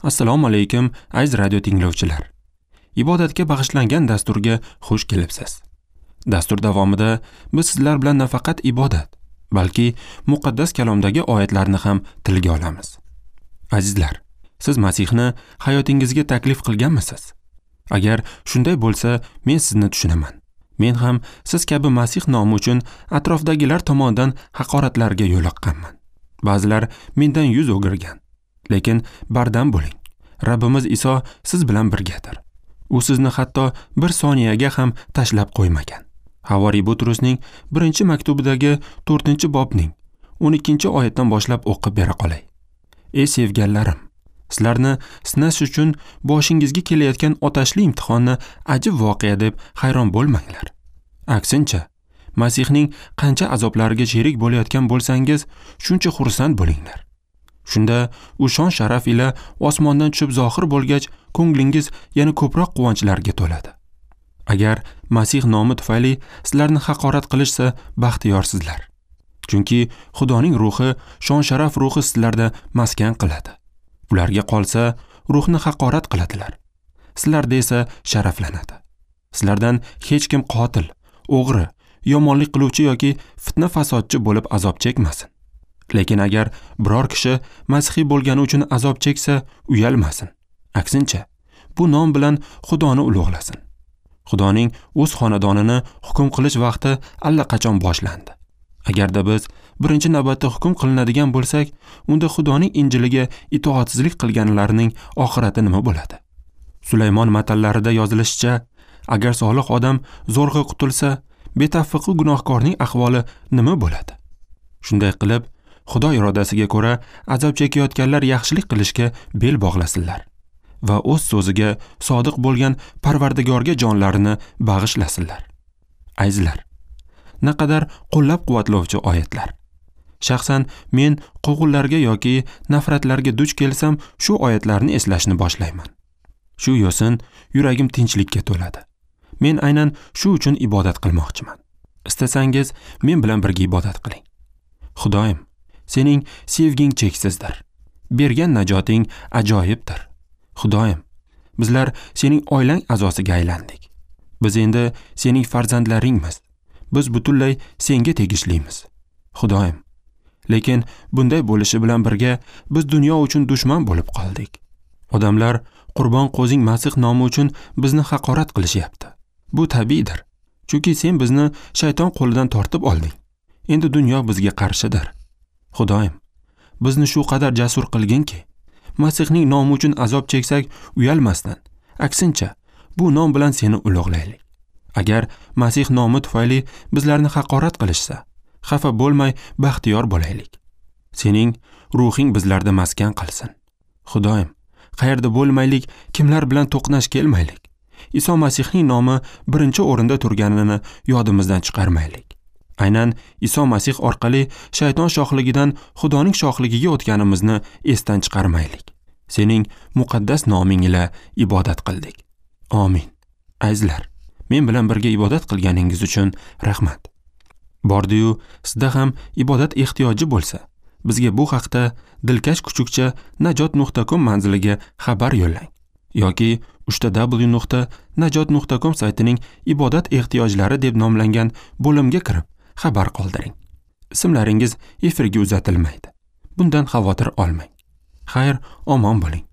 Assalomu alaykum, aziz radio tinglovchilar. Ibodatga bag'ishlangan dasturga xush kelibsiz. Dastur davomida biz sizlar bilan nafaqat ibodat, balki muqaddas kalomdagi oyatlarni ham tilga olamiz. Azizlar, siz Masihni hayotingizga taklif qilganmisiz? Agar shunday bo'lsa, men sizni tushunaman. Men ham siz kabi Masih nomi uchun atrofdagilar tomonidan haqoratlarga yo'liqqanman. Ba'zilar mendan yuz o'girgan. Lekin bardam bo'ling. Rabbimiz Iso siz bilan birgadir. U sizni hatto bir soniyaga ham tashlab qo'ymagan. Havoriy Butrusning 1-maktubidagi 4-bobning 12-oyatdan boshlab o'qib bera qolay. Ey sevganlarim, sizlarni sinash uchun boshingizga kelayotgan otashli imtihonni ajib voqea deb hayron bo'lmanglar. Aksincha, Masihning qancha azoblariga sherik bo'layotgan bo'lsangiz, shuncha xursand bo'linglar. Shunda u shon sharaf ila osmondan tushib zohir bo'lgach, ko'nglingiz yana ko'proq quvonchlarga to'ladi. Agar Masih nomi tufayli sizlarni haqorat qilishsa, baxtiyorsizlar. Chunki Xudoning ruhi, shon sharaf ruhi sizlarda maskan qiladi. Ularga qolsa, ruhni haqorat qiladilar. Sizlarda esa sharaflanadi. Sizlardan hech kim qotil, o'g'ri, yomonlik qiluvchi yoki fitna fasodchi bo'lib azob chekmasin. Lekin agar biror kishi masihiy bo'lgani uchun azob cheksa, uyalmasin. Aksincha, bu nom bilan Xudoni ulug'lasin. Xudoning o'z xonadonini hukm qilish vaqti allaqachon boshlandi. Agarda biz birinchi navbatda hukm qilinadigan bo'lsak, unda Xudoning Injiliga itoatsizlik qilganlarning oxirati nima bo'ladi? Sulaymon matallarida yozilishicha, agar solih odam zo'rg'a qutulsa, betavfiqi gunohkorning ahvoli nima bo'ladi? Shunday qilib, Xudo irodasiga ko'ra azob chekayotganlar yaxshilik qilishga bel bog'lasinlar va o'z so'ziga sodiq bo'lgan Parvardigorga jonlarini bag'ishlasinlar. Azizlar, naqadar qo'llab-quvvatlovchi oyatlar. Shaxsan men quvg'inlarga yoki nafratlarga duch kelsam, shu oyatlarni eslashni boshlayman. Shu yo'sin yuragim tinchlikka to'ladi. Men aynan shu uchun ibodat qilmoqchiman. Istasangiz, men bilan birga ibodat qiling. Xudoyim, sening sevging cheksizdir. Bergan najoting ajoyibdir. Xudoyim, bizlar sening oilang a'zosiga aylandik. Biz endi sening farzandlaringmiz. Biz butunlay senga tegishlimiz. Xudoyim, lekin bunday bo'lishi bilan birga biz dunyo uchun dushman bo'lib qoldik. Odamlar Qurbon qo'zing Masih nomi uchun bizni haqorat qilishyapti. Bu tabiiydir. Chunki sen bizni shayton qo'lidan tortib olding. Endi dunyo bizga qarshidir. Xudoyim, bizni shu qadar jasur qilginki, Masihning nomi uchun azob cheksak uyalmasdan, aksincha, bu nom bilan seni ulug'laylik. Agar Masih nomi tufayli bizlarni haqorat qilishsa, xafa bo'lmay baxtiyor bo'laylik. Sening ruhing bizlarda maskan qilsin. Xudoyim, qayerda bo'lmaylik, kimlar bilan to'qnash kelmaylik. Iso Masihning nomi birinchi o'rinda turganini yodimizdan chiqarmaylik. Aynan Iso Masih orqali shayton shohligidan Xudoning shohligiga o'tganimizni esdan chiqarmaylik. Sening muqaddas noming ila ibodat qildik. Amin. Azizlar, men bilan birga ibodat qilganingiz uchun rahmat. Bordi-yu, sizda ham ibodat ehtiyoji bo'lsa, bizga bu haqda dilkash kuchukcha najot.com manziliga xabar yo'llang yoki www.najot.com saytining ibodat ehtiyojlari deb nomlangan bo'limga kirib xabar qoldiring. Ismlaringiz efirga uzatilmaydi. Bundan xavotir olmang. Xayr, omon bo'ling.